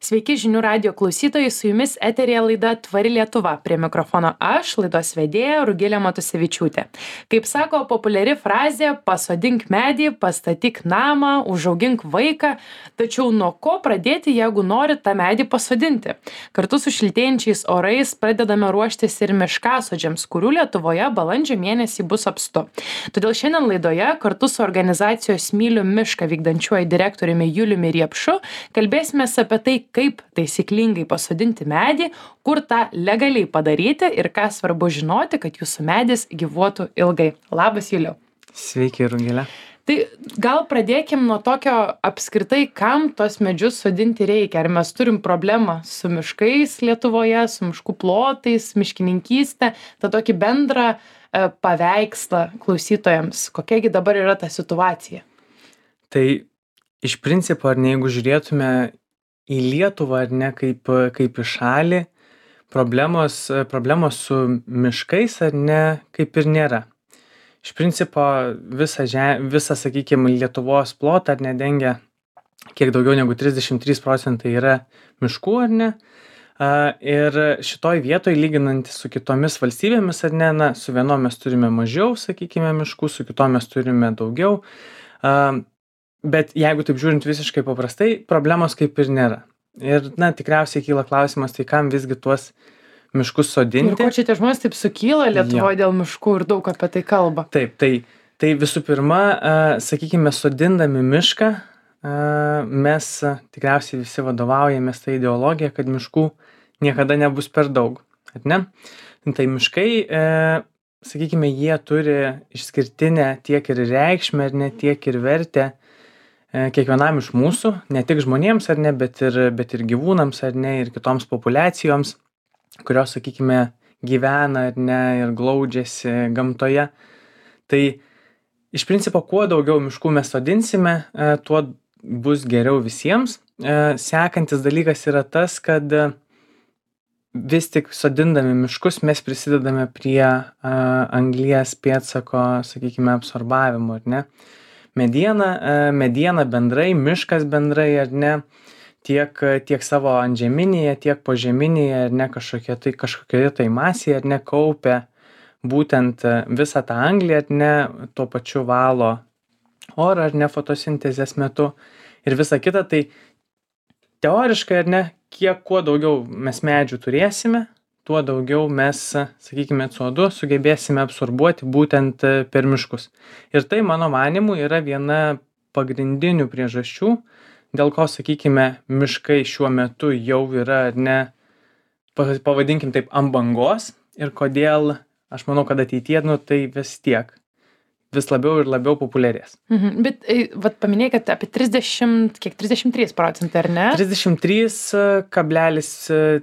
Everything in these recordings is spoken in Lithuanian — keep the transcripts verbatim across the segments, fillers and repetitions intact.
Sveiki žinių radijo klausytojai, su jumis eterėje laida Tvari Lietuva. Prie mikrofono aš, laidos vedėja Rugilė Matusevičiūtė. Kaip sako populiari frazė, pasodink medį, pastatyk namą, užaugink vaiką, tačiau nuo ko pradėti, jeigu nori tą medį pasodinti? Kartu su šiltėjančiais orais pradedame ruoštis ir miškasodžiams, kurių Lietuvoje balandžio mėnesį bus apstu. Todėl šiandien laidoje kartu su organizacijos Myliu mišką vykdančiuoju direktoriumi Juliumi Riepšu kalbėsime apie tai, kaip taisyklingai pasodinti medį, kur tą legaliai padaryti ir ką svarbu žinoti, kad jūsų medis gyvuotų ilgai. Labas, Juliau. Sveiki, Rugilė. Tai gal pradėkim nuo tokio apskritai, kam tos medžius sodinti reikia. Ar mes turim problemą su miškais Lietuvoje, su miškų plotais, miškininkystė, tą tokį bendrą e, paveikslą klausytojams. Kokiagi dabar yra ta situacija? Tai iš principo, ar ne, jeigu žiūrėtume į Lietuvą, ar ne, kaip, kaip į šalį, problemos, problemos su miškais, ar ne, kaip ir nėra. Iš principo, visą, žem, visą sakykime, Lietuvos plotą, ar ne, dengia kiek daugiau negu trisdešimt trys procentai yra miškų, ar ne. Ir šitoj vietoj, lyginant su kitomis valstybėmis, ar ne, na, su vienom mes turime mažiau, sakykime, miškų, su kitom mes turime daugiau. Bet jeigu taip žiūrint visiškai paprastai, problemos kaip ir nėra. Ir, na, tikriausiai kyla klausimas, tai kam visgi tuos miškus sodinti? Ir ko čia tie žmonės taip sukyla Lietuvoje dėl miškų ir daug apie tai kalba? Taip, tai, tai visų pirma, sakykime, sodindami mišką, mes tikriausiai visi vadovaujamės tą ideologiją, kad miškų niekada nebus per daug, ar ne? Tai miškai, sakykime, jie turi išskirtinę tiek ir reikšmę, ar ne, tiek ir vertę kiekvienam iš mūsų, ne tik žmonėms, ar ne, bet ir, bet ir gyvūnams, ar ne, ir kitoms populiacijoms, kurios, sakykime, gyvena, ar ne, ir glaudžiasi gamtoje. Tai iš principo, kuo daugiau miškų mes sodinsime, tuo bus geriau visiems. Sekantis dalykas yra tas, kad vis tik sodindami miškus mes prisidedame prie anglies pėdsako, sakykime, absorbavimo, ar ne. Mediena, mediena bendrai, miškas bendrai, ar ne, tiek, tiek savo antžeminėje, tiek požeminėje, ar ne, kažkokie tai, kažkokie tai masėje, ar ne, kaupia būtent visą tą anglį, ar ne, tuo pačiu valo orą, ar ne, fotosintezės metu ir visa kita. Tai teoriškai, ar ne, kiek kuo daugiau mes medžių turėsime, tuo daugiau mes, sakykime, C O du sugebėsime absorbuoti būtent per miškus. Ir tai, mano manymu, yra viena pagrindinių priežasčių, dėl ko, sakykime, miškai šiuo metu jau yra, ar ne, pavadinkim taip, ant bangos ir kodėl, aš manau, kad ateityje, nu, tai vis tiek vis labiau ir labiau populiarės. Mhm. Bet vat paminėjai, kad apie trisdešimt, kiek trisdešimt trys procentai, ar ne? trisdešimt trys kablelis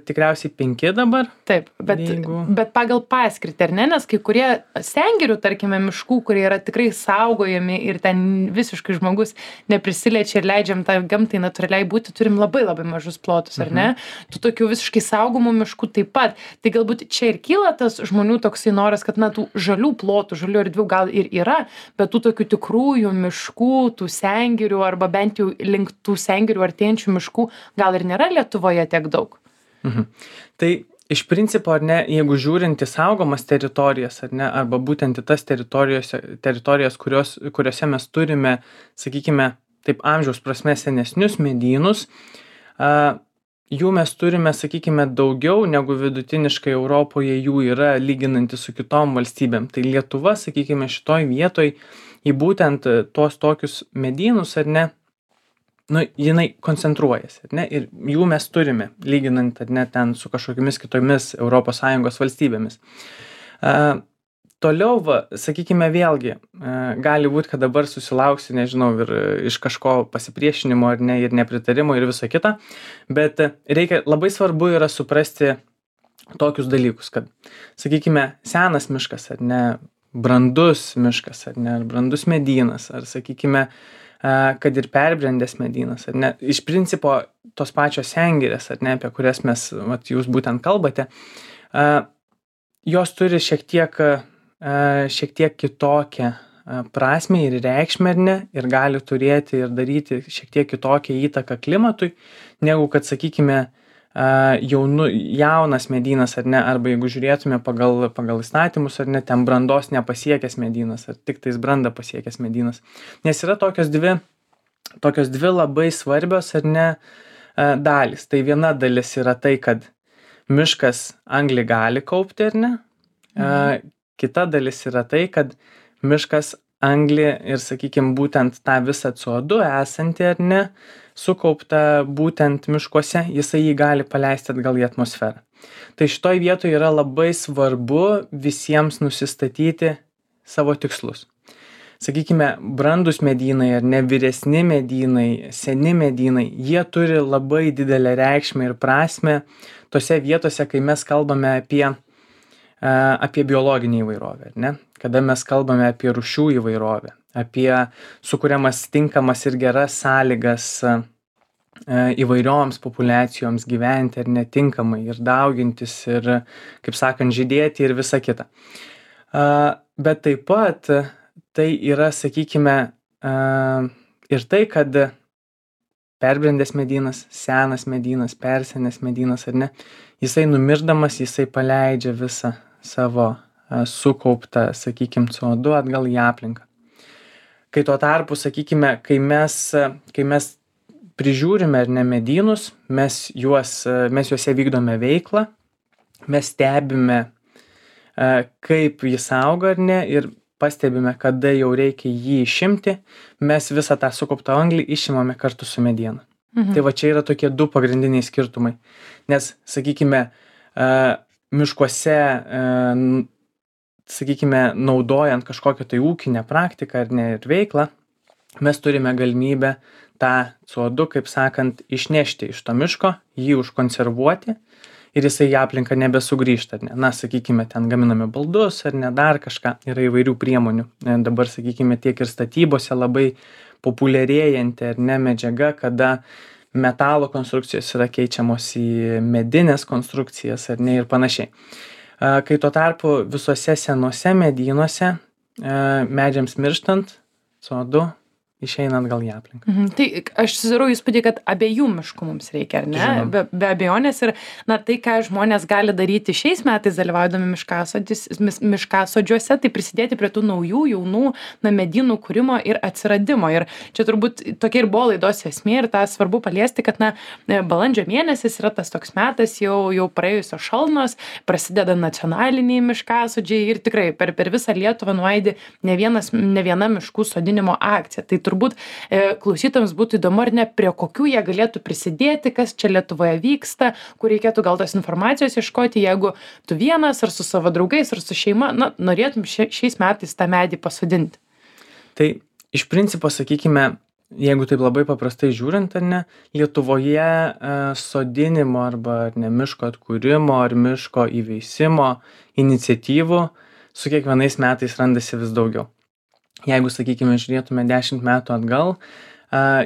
tikriausiai penki dabar. Taip, bet, jeigu... bet pagal paskirtį, ar ne? Nes kai kurie sengirių, tarkime, miškų, kurie yra tikrai saugojami ir ten visiškai žmogus neprisiliečia ir leidžiam tą gamtai natūraliai būti, turim labai labai mažus plotus, ar ne? Mhm. Tų tokių visiškai saugomų miškų taip pat. Tai galbūt čia ir kyla tas žmonių toksai noras, kad, na, tų žalių plotų, žalių erdvių gal ir yra, bet tų tokių tikrųjų miškų, tų sengirių arba bent jau link tų sengirių artėjančių miškų gal ir nėra Lietuvoje tiek daug. Mhm. Tai iš principo, ar ne, jeigu žiūrint į saugomas teritorijas, ar ne, arba būtent į tas teritorijos, teritorijos kurios, kuriuose mes turime, sakykime, taip amžiaus prasme senesnius medynus, a, jų mes turime, sakykime, daugiau negu vidutiniškai Europoje jų yra lyginanti su kitom valstybėm. Tai Lietuva, sakykime, šitoj vietoj į būtent tuos tokius medynus, ar ne, nu, jinai koncentruojasi, ar ne, ir jų mes turime, lyginant, ar ne, ten su kažkokiamis kitomis Europos Sąjungos valstybėmis. Uh, Toliau, va, sakykime, vėlgi, gali būti, kad dabar susilauksiu, nežinau, ir iš kažko pasipriešinimo, ar ne, ir nepritarimo, ir viso kita, bet reikia, labai svarbu yra suprasti tokius dalykus, kad, sakykime, senas miškas, ar ne, brandus miškas, ar ne, ar brandus medynas, ar, sakykime, kad ir perbrendęs medynas, ar ne, iš principo tos pačios sengirės, ar ne, apie kurias mes, vat, jūs būtent kalbate, jos turi šiek tiek šiek tiek kitokią prasmę ir reikšmę, ar ne, ir gali turėti ir daryti šiek tiek kitokią įtaką klimatui, negu kad, sakykime, jaunu, jaunas medynas, ar ne, arba jeigu žiūrėtume pagal, pagal įstatymus, ar ne, ten brandos nepasiekęs medynas, ar tik tais brandą pasiekęs medynas. Nes yra tokios dvi, tokios dvi labai svarbios, ar ne, dalys. Tai viena dalis yra tai, kad miškas anglį gali kaupti, ar ne. Mhm. Kita dalis yra tai, kad miškas anglį ir, sakykime, būtent tą visą C O du esantį, ar ne, sukaupta būtent miškuose, jisai jį gali paleisti atgal į atmosferą. Tai šitoj vietoje yra labai svarbu visiems nusistatyti savo tikslus. Sakykime, brandus medynai ar ne, vyresni medynai, seni medynai, jie turi labai didelę reikšmę ir prasmę tose vietose, kai mes kalbame apie, apie biologinį įvairovę, ar ne? Kada mes kalbame apie rūšių įvairovę, apie sukuriamas tinkamas ir geras sąlygas įvairioms populiacijoms gyventi ar netinkamai ir daugintis ir, kaip sakant, žydėti ir visa kita. Bet taip pat tai yra, sakykime, ir tai, kad perbrendęs medynas, senas medynas, persenęs medynas ar ne, jisai numirdamas, jisai paleidžia visą savo sukauptą, sakykime, C O du atgal į aplinką. Kai tuo tarpu, sakykime, kai mes, kai mes prižiūrime ar ne medynus, mes, juos, mes juose vykdome veiklą, mes stebime, kaip jis auga ar ne, ir pastebime, kada jau reikia jį išimti, mes visą tą sukauptą anglį išimame kartu su mediena. Mhm. Tai va čia yra tokie du pagrindiniai skirtumai. Nes, sakykime, miškuose, sakykime, naudojant kažkokią tai ūkinę praktiką ar ne ir veiklą, mes turime galimybę tą C O du, kaip sakant, išnešti iš to miško, jį užkonservuoti ir jisai į aplinką nebesugrįžta. Ne? Na, sakykime, ten gaminame baldus ar ne dar kažką, yra įvairių priemonių. Dabar, sakykime, tiek ir statybose labai populiarėjanti ar ne medžiaga, kada metalo konstrukcijos yra keičiamos į medinės konstrukcijas ar ne ir panašiai. Kai tuo tarpu visuose senuose medynuose medžiams mirštant C O du išeina atgal į aplinką. Mhm. Tai aš susidarau įspūdį, kad abiejų miškų mums reikia, ar ne? Be, be abejonės ir na, tai, ką žmonės gali daryti šiais metais dalyvaudami miškasodžiuose, tai prisidėti prie tų naujų, jaunų na, medynų kūrimo ir atsiradimo. Ir čia turbūt tokia ir buvo laidos esmė ir tą svarbu paliesti, kad na, balandžio mėnesis yra tas toks metas, jau, jau praėjusios šalnos, prasideda nacionaliniai miškasodžiai ir tikrai per, per visą Lietuvą nuaidi ne, vienas, ne viena miškų sodinimo akcija. Tai turbūt e, klausytojams būtų įdomu ar ne, prie kokių jie galėtų prisidėti, kas čia Lietuvoje vyksta, kur reikėtų gal tos informacijos ieškoti, jeigu tu vienas ar su savo draugais ar su šeima, na, norėtum šia, šiais metais tą medį pasodinti. Tai iš principo, sakykime, jeigu taip labai paprastai žiūrint, ar ne, Lietuvoje e, sodinimo arba ar ne, miško atkūrimo ar miško įveisimo iniciatyvų su kiekvienais metais randasi vis daugiau. Jeigu, sakykime, žiūrėtume dešimt metų atgal,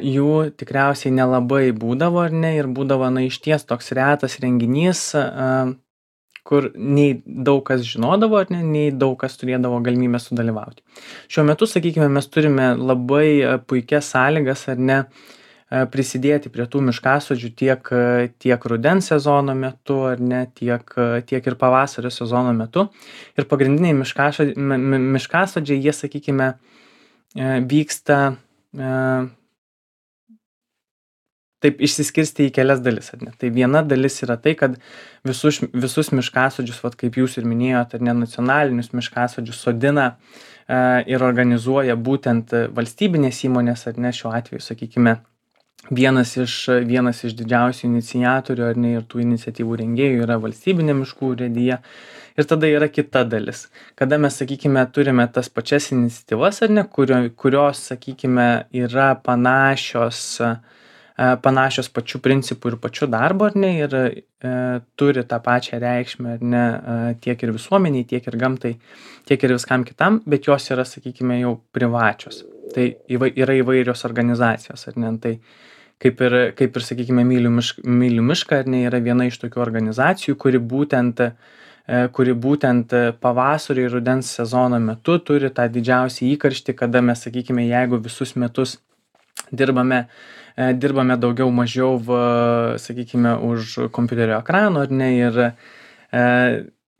jų tikriausiai nelabai būdavo, ar ne, ir būdavo, na, išties toks retas renginys, kur nei daug kas žinodavo, ar ne, nei daug kas turėdavo galimybę sudalyvauti. Šiuo metu, sakykime, mes turime labai puikias sąlygas, ar ne, prisidėti prie tų miškasodžių tiek, tiek rudens sezono metu, ar ne, tiek, tiek ir pavasario sezono metu. Ir pagrindiniai miškasodžiai, miškasodžiai jie, sakykime, vyksta taip išsiskirsti į kelias dalis, ar ne. Tai viena dalis yra tai, kad visus, visus miškasodžius, vat, kaip jūs ir minėjote, ar ne, nacionalinius miškasodžius sodina ir organizuoja būtent valstybinės įmonės, ar ne, šiuo atveju, sakykime, Vienas iš, vienas iš didžiausių iniciatorių ar ne ir tų iniciatyvų rengėjų yra valstybinė miškų urėdija. Ir tada yra kita dalis. Kada mes, sakykime, turime tas pačias iniciatyvas ar ne, kurio, kurios, sakykime, yra panašios, panašios pačių principų ir pačių darbo ar ne ir e, turi tą pačią reikšmę ar ne tiek ir visuomeniai, tiek ir gamtai, tiek ir viskam kitam, bet jos yra, sakykime, jau privačios. Tai yra įvairios organizacijos ar ne. Tai Kaip ir, kaip ir, sakykime, myliu mišką, myliu mišką, ar ne, yra viena iš tokių organizacijų, kuri būtent kuri būtent pavasario ir rudens sezono metu turi tą didžiausią įkarštį, kada mes, sakykime, jeigu visus metus dirbame, dirbame daugiau mažiau, sakykime, už kompiuterio ekrano, ar ne, ir,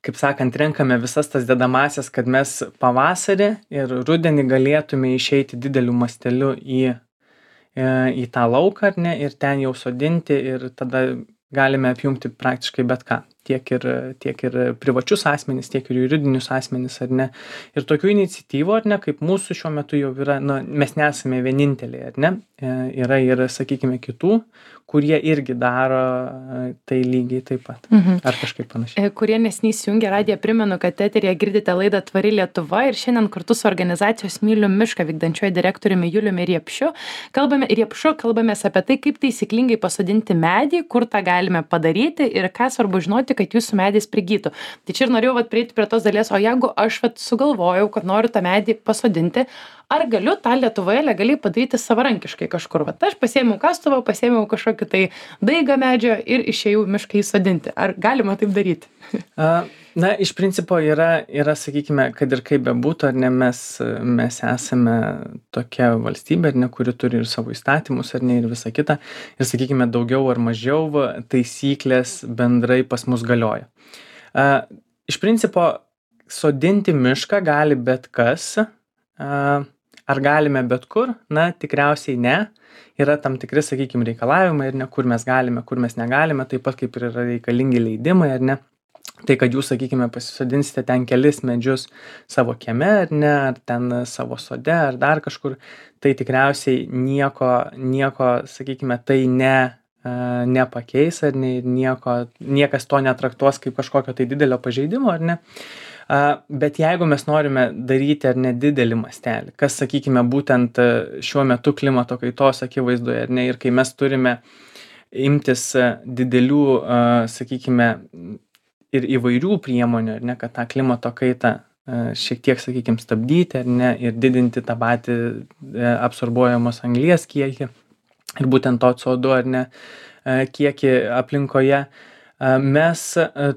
kaip sakant, renkame visas tas dedamasias, kad mes pavasarį ir rudenį galėtume išeiti dideliu masteliu į, į tą lauką, ar ne, ir ten jau sodinti, ir tada galime apjungti praktiškai bet ką. Tiek ir, tiek ir privačius asmenis, tiek ir juridinius asmenis, ar ne. Ir tokių iniciatyvų, ar ne, kaip mūsų šiuo metu jau yra, nu, mes nesame vieninteliai, ar ne, yra ir, sakykime, kitų, kurie irgi daro tai lygiai taip pat, mhm. ar kažkaip panašiai. Kurie neseniai įsijungė radiją, primenu, kad eteryje girdite laidą Tvari Lietuva ir šiandien kartu su organizacijos Myliu mišką vykdančiuoju direktoriumi Juliumi Riepšiu kalbame, Riepšiu kalbamės apie tai, kaip taisyklingai pasodinti medį, kur tą galime padaryti ir ką svarbu žinoti, kad jūsų medis prigytų. Tai čia ir norėjau vat prieiti prie tos dalies, o jeigu aš vat sugalvojau, kad noriu tą medį pasodinti, ar galiu tą Lietuvoje legaliai padaryti savarankiškai kažkur? Vat aš pasiėmiau kastuvą, pasiėmiau kažkokį tai daigą medžio ir išėjau mišką įsodinti. Ar galima taip daryti? Na, iš principo yra, yra, sakykime, kad ir kaip bebūtų, ar ne, mes, mes esame tokia valstybė, ar ne, kuri turi ir savo įstatymus, ar ne, ir visą kitą. Ir, sakykime, daugiau ar mažiau taisyklės bendrai pas mus galioja. Iš principo, sodinti mišką gali bet kas. Ar galime bet kur? Na, tikriausiai ne. Yra tam tikri, sakykime, reikalavimai, ir ne, kur mes galime, kur mes negalime, taip pat kaip ir yra reikalingi leidimai, ar ne. Tai, kad jūs, sakykime, pasisodinsite ten kelis medžius savo kieme, ar ne, ar ten savo sode, ar dar kažkur, tai tikriausiai nieko, nieko, sakykime, tai ne, nepakeis, ar ne, nieko, niekas to netraktuos kaip kažkokio tai didelio pažeidimo, ar ne. Bet jeigu mes norime daryti ar ne didelį mastelį, kas, sakykime, būtent šiuo metu klimato kaitos akivaizdoje, ar ne, ir kai mes turime imtis didelių, sakykime, ir įvairių priemonių, ar ne, kad tą klimato kaitą šiek tiek, sakykime, stabdyti, ar ne, ir didinti tą patį absorbuojamos anglies kiekį ir būtent to C O du, ar ne, kiekį aplinkoje, mes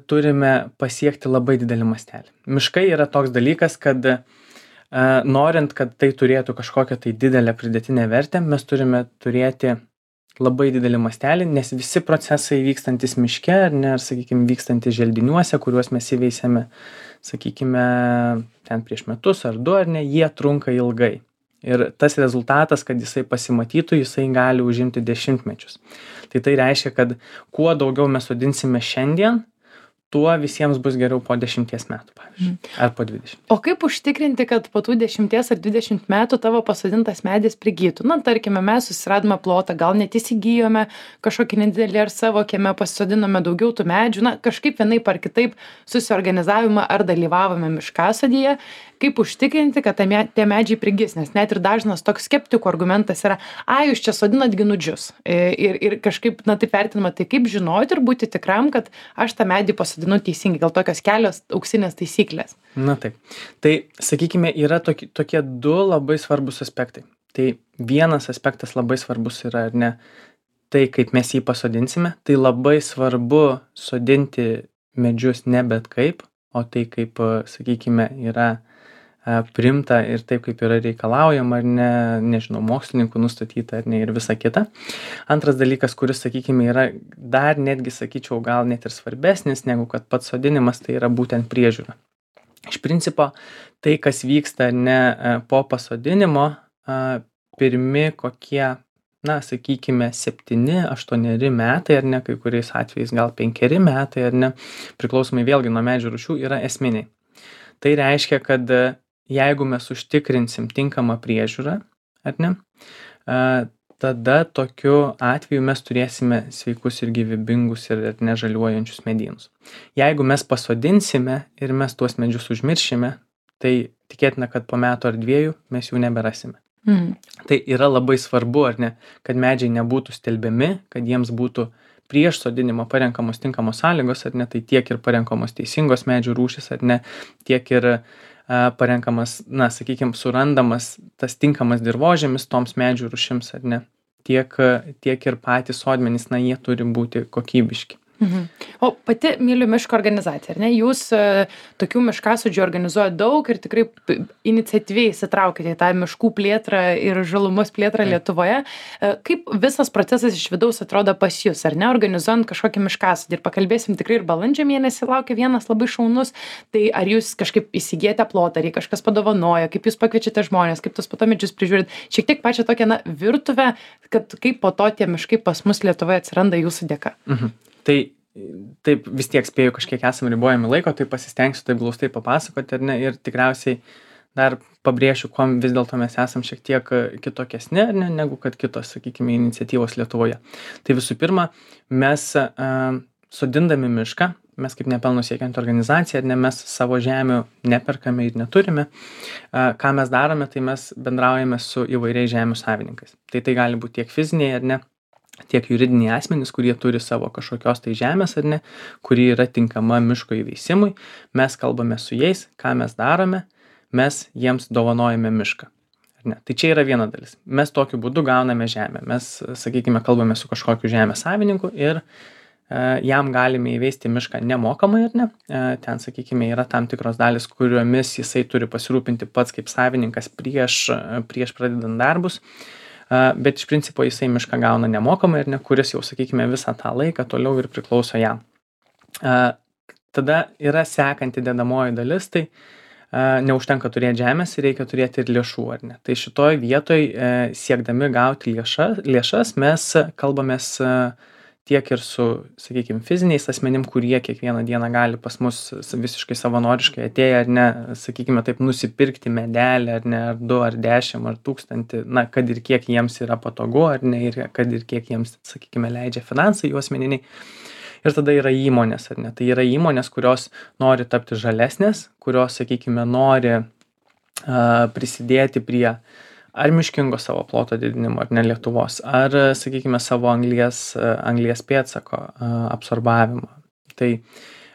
turime pasiekti labai didelį mastelį. Miškai yra toks dalykas, kad norint, kad tai turėtų kažkokią tai didelę pridėtinę vertę, mes turime turėti labai didelį mastelį, nes visi procesai vykstantis miške, ar ne, ar, sakykime, vykstantis želdiniuose, kuriuos mes įveisėme, sakykime, ten prieš metus ar du, ar ne, jie trunka ilgai. Ir tas rezultatas, kad jisai pasimatytų, jisai gali užimti dešimtmečius. Tai tai reiškia, kad kuo daugiau mes sodinsime šiandien, tuo visiems bus geriau po dešimties metų, pavyzdžiui, ar po dvidešimt. O kaip užtikrinti, kad po tų dešimties ar dvidešimt metų tavo pasodintas medis prigytų? Na, tarkime, mes susiradome plotą, gal net įsigijome kažkokį nedidelį ar savo kieme pasodinome daugiau tų medžių, na, kažkaip vienaip ar kitaip susiorganizavimą ar dalyvavome miškasodyje, kaip užtikrinti, kad tie medžiai prigis, nes net ir dažnas toks skeptikų argumentas yra, a, jūs čia sodinat ginudžius ir, ir kažkaip, na, taip vertinama, tai kaip žinoti ir būti tikram, kad aš tą medį pasodinu teisingai, gal tokios kelios auksinės taisyklės. Na taip, tai sakykime, yra tokie, tokie du labai svarbus aspektai. Tai vienas aspektas labai svarbus yra, ar ne, tai kaip mes jį pasodinsime, tai labai svarbu sodinti medžius ne bet kaip, o tai kaip, sakykime, yra primta ir taip, kaip yra reikalaujama, ar ne, nežinau, mokslininkų nustatyta, ar ne, ir visa kita. Antras dalykas, kuris, sakykime, yra dar netgi, sakyčiau, gal net ir svarbesnis, negu kad pats sodinimas, tai yra būtent priežiūra. Iš principo, tai, kas vyksta ne po pasodinimo, pirmi kokie, na, sakykime, septyni, aštuoneri metai, ar ne, kai kuriais atvejais gal penkeri metai, ar ne, priklausomai vėlgi nuo medžių rūšių, yra esminiai. Tai reiškia, kad jeigu mes užtikrinsim tinkamą priežiūrą, ar ne, tada tokiu atveju mes turėsime sveikus ir gyvybingus ir nežaliuojančius medynus. Jeigu mes pasodinsime ir mes tuos medžius užmiršime, tai tikėtina, kad po metų ar dviejų mes jų neberasime. Mm. Tai yra labai svarbu, ar ne, kad medžiai nebūtų stelbiami, kad jiems būtų prieš sodinimą parenkamos tinkamos sąlygos, ar ne, tai tiek ir parenkamos teisingos medžių rūšys, ar ne, tiek ir a, parenkamas, na, sakykime, surandamas tas tinkamas dirvožėmis toms medžių rūšims, ar ne, tiek, tiek ir patys sodmenys, na, jie turi būti kokybiški. Mhm. O pati Myliu miško organizacija, ar ne? Jūs e, tokių miškasodžių organizuojate daug ir tikrai p- iniciatyviai įsitraukite į tą miškų plėtrą ir žalumos plėtrą Taip. Lietuvoje. E, Kaip visas procesas iš vidaus atrodo pas jūs, ar ne? Organizuojant kažkokį miškasodį ir pakalbėsim tikrai ir balandžio mėnesį laukia vienas labai šaunus. Tai ar jūs kažkaip įsigijate plotą, ar jį kažkas padovanoja, kaip jūs pakviečiate žmonės, kaip tos po to medžius prižiūrit. Šiek tiek pačią tokią na, virtuvę, kad kaip po to tie miškai pas mus Lietuvoje atsiranda jūsų dėka. Mhm. Tai taip vis tiek spėju, kažkiek esam ribojami laiko, tai pasistengsiu taip glaustai papasakoti, ar ne, ir tikriausiai dar pabrėšiu, kuom vis dėlto mes esam šiek tiek kitokesni, ar ne, negu kad kitos, sakykime, iniciatyvos Lietuvoje. Tai visų pirma, mes uh, sodindami mišką, mes kaip nepelno siekiant organizacija, ar ne, mes savo žemių neperkame ir neturime. Uh, ką mes darome, tai mes bendraujame su įvairiais žemių savininkais. Tai tai gali būti tiek fiziniai, ar ne, tiek juridiniai asmenys, kurie turi savo kažkokios tai žemės, ar ne, kuri yra tinkama miško įveisimui. Mes kalbame su jais, ką mes darome, mes jiems dovanojame mišką. Ar ne? Tai čia yra viena dalis. Mes tokiu būdu gauname žemę. Mes, sakykime, kalbame su kažkokiu žemės savininku ir e, jam galime įveisti mišką nemokamai, ar ne. E, ten, sakykime, yra tam tikros dalis, kuriomis jisai turi pasirūpinti pats kaip savininkas prieš, prieš pradedant darbus. Uh, bet iš principo jisai mišką gauna nemokamai ir ne, kuris jau, sakykime, visą tą laiką toliau ir priklauso jam. Uh, tada yra sekanti dedamoji dalis, tai uh, neužtenka turėti žemės, reikia turėti ir lėšų, ar ne. Tai šitoj vietoj uh, siekdami gauti lėšas, lėšas mes kalbamės uh, tiek ir su, sakykime, fiziniais asmenim, kurie kiekvieną dieną gali pas mus visiškai savanoriškai atėję, ar ne, sakykime, taip nusipirkti medelį, ar ne, ar du, ar dešimt, ar tūkstantį, na, kad ir kiek jiems yra patogu, ar ne, ir kad ir kiek jiems, sakykime, leidžia finansai jų asmeniniai. Ir tada yra įmonės, ar ne, tai yra įmonės, kurios nori tapti žalesnės, kurios, sakykime, nori uh, prisidėti prie ar miškingo savo ploto didinimo, ar ne Lietuvos, ar, sakykime, savo anglies, anglies pėdsako absorbavimo. Tai,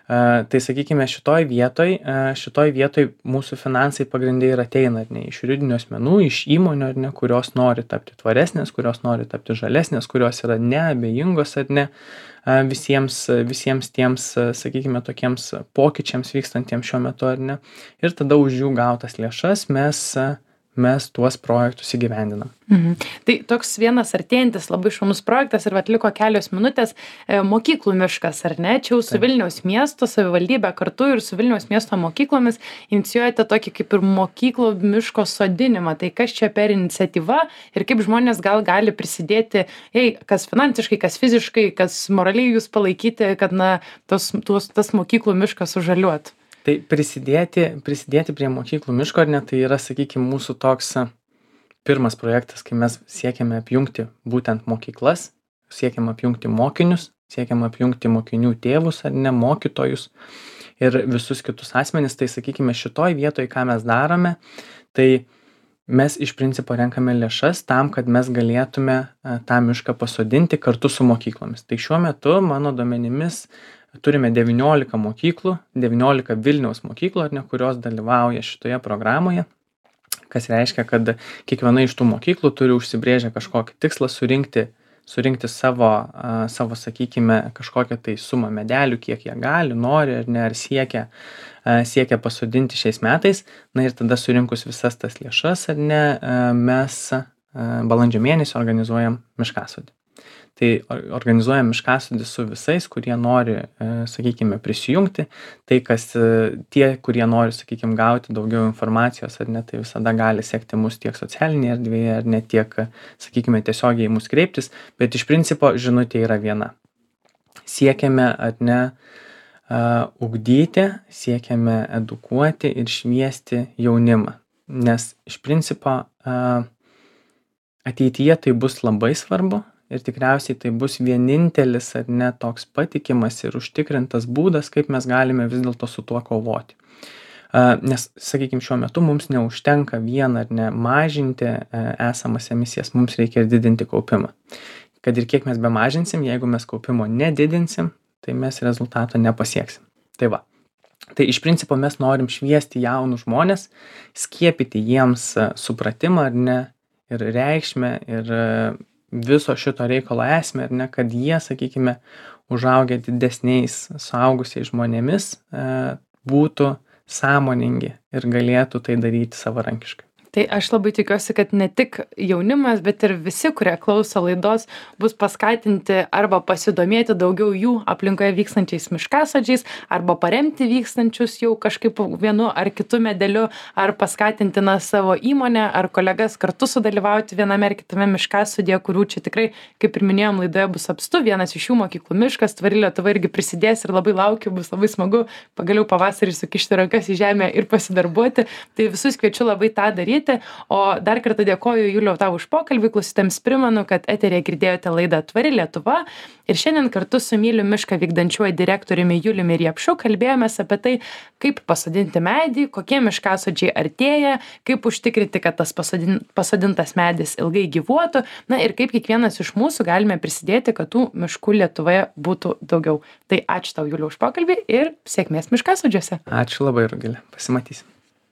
tai, sakykime, šitoj vietoj, šitoj vietoj mūsų finansai pagrindai ir ateina, ar ne, iš juridinių asmenų, iš įmonių, ar ne, kurios nori tapti tvaresnės, kurios nori tapti žalesnės, kurios yra neabejingos, ar ne, visiems, visiems tiems, sakykime, tokiems pokyčiams vykstantiems šiuo metu, ar ne. Ir tada už jų gautas lėšas mes mes tuos projektus įgyvendinam. Mhm. Tai toks vienas artėjantis labai šaunus projektas ir vat liko kelios minutės e, mokyklų miškas, ar ne? Čia jau su Taip. Vilniaus miesto savivaldybė kartu ir su Vilniaus miesto mokyklomis inicijuojate tokį kaip ir mokyklų miško sodinimą. Tai kas čia per iniciatyva ir kaip žmonės gal gali prisidėti, jei, kas finansiškai, kas fiziškai, kas moraliai jūs palaikyti, kad na, tos, tos, tas mokyklų miškas sužaliuotų. Tai prisidėti, prisidėti prie mokyklų miško, ar ne, tai yra, sakykime, mūsų toks pirmas projektas, kai mes siekiame apjungti būtent mokyklas, siekiame apjungti mokinius, siekiame apjungti mokinių tėvus, ar ne, mokytojus ir visus kitus asmenis. Tai, sakykime, šitoj vietoj, ką mes darome, tai mes iš principo renkame lėšas tam, kad mes galėtume tą mišką pasodinti kartu su mokyklomis. Tai šiuo metu, mano duomenimis, turime devyniolika mokyklų, devyniolika Vilniaus mokyklų, ar ne, kurios dalyvauja šitoje programoje, kas reiškia, kad kiekviena iš tų mokyklų turi užsibrėžę kažkokį tikslą surinkti, surinkti savo, uh, savo, sakykime, kažkokią tai sumą medelių, kiek jie gali, nori, ar ne, ar siekia, uh, siekia pasodinti šiais metais. Na ir tada surinkus visas tas lėšas, ar ne, uh, mes uh, balandžio mėnesį organizuojam miškasodį. Tai organizuojam miškasodį su visais, kurie nori, sakykime, prisijungti. Tai, kas tie, kurie nori, sakykime, gauti daugiau informacijos, ar ne, tai visada gali sekti mus tiek socialinėje erdvėje, ar ne tiek, sakykime, tiesiogiai mus kreiptis. Bet iš principo žinutė yra viena. Siekiame, ar ne, uh, ugdyti, siekiame edukuoti ir šviesti jaunimą. Nes iš principo uh, ateityje tai bus labai svarbu. Ir tikriausiai tai bus vienintelis, ar ne, toks patikimas ir užtikrintas būdas, kaip mes galime vis dėlto su tuo kovoti. Nes, sakykime, šiuo metu mums neužtenka vien ar ne mažinti esamas emisijas, mums reikia ir didinti kaupimą. Kad ir kiek mes bemažinsim, jeigu mes kaupimo nedidinsim, tai mes rezultato nepasieksim. Tai va. Tai iš principo mes norim šviesti jaunus žmonės, skiepyti jiems supratimą, ar ne, ir reikšmę, ir viso šito reikalo esmę, ar ne, kad jie, sakykime, užaugę didesniais suaugusiais žmonėmis, būtų sąmoningi ir galėtų tai daryti savarankiškai. Tai aš labai tikiuosi, kad ne tik jaunimas, bet ir visi, kurie klauso laidos, bus paskatinti arba pasidomėti daugiau jų aplinkoje vykstančiais miškasodžiais, arba paremti vykstančius jau kažkaip vienu ar kitu medeliu, ar paskatinti na, savo įmonę ar kolegas kartu sudalyvauti viename ar kitame miškasodėje, kurių čia tikrai, kaip ir minėjom, laidoje bus apstu. Vienas iš jų mokyklų miškas, Tvari Lietuva irgi prisidės ir labai laukiu, bus labai smagu pagaliau pavasarį sukišti rankas į žemę ir pasidarbuoti. Tai visus kviečiu labai tą daryti. O dar kartą dėkoju, Juliau, tau už pokalbį. Klausytėms primenu, kad eteryje girdėjote laidą Tvari Lietuva ir šiandien kartu su Myliu mišką vykdančiuoju direktoriumi Juliumi Riepšu kalbėjomės apie tai, kaip pasodinti medį, kokie miškasodžiai artėja, kaip užtikrinti, kad tas pasodin, pasodintas medis ilgai gyvuotų, na ir kaip kiekvienas iš mūsų galime prisidėti, kad tų miškų Lietuvoje būtų daugiau. Tai ačiū tau, Juliau, už pokalbį ir sėkmės miškasodžiuose. Ačiū labai, Rugilė. Pasimatysim.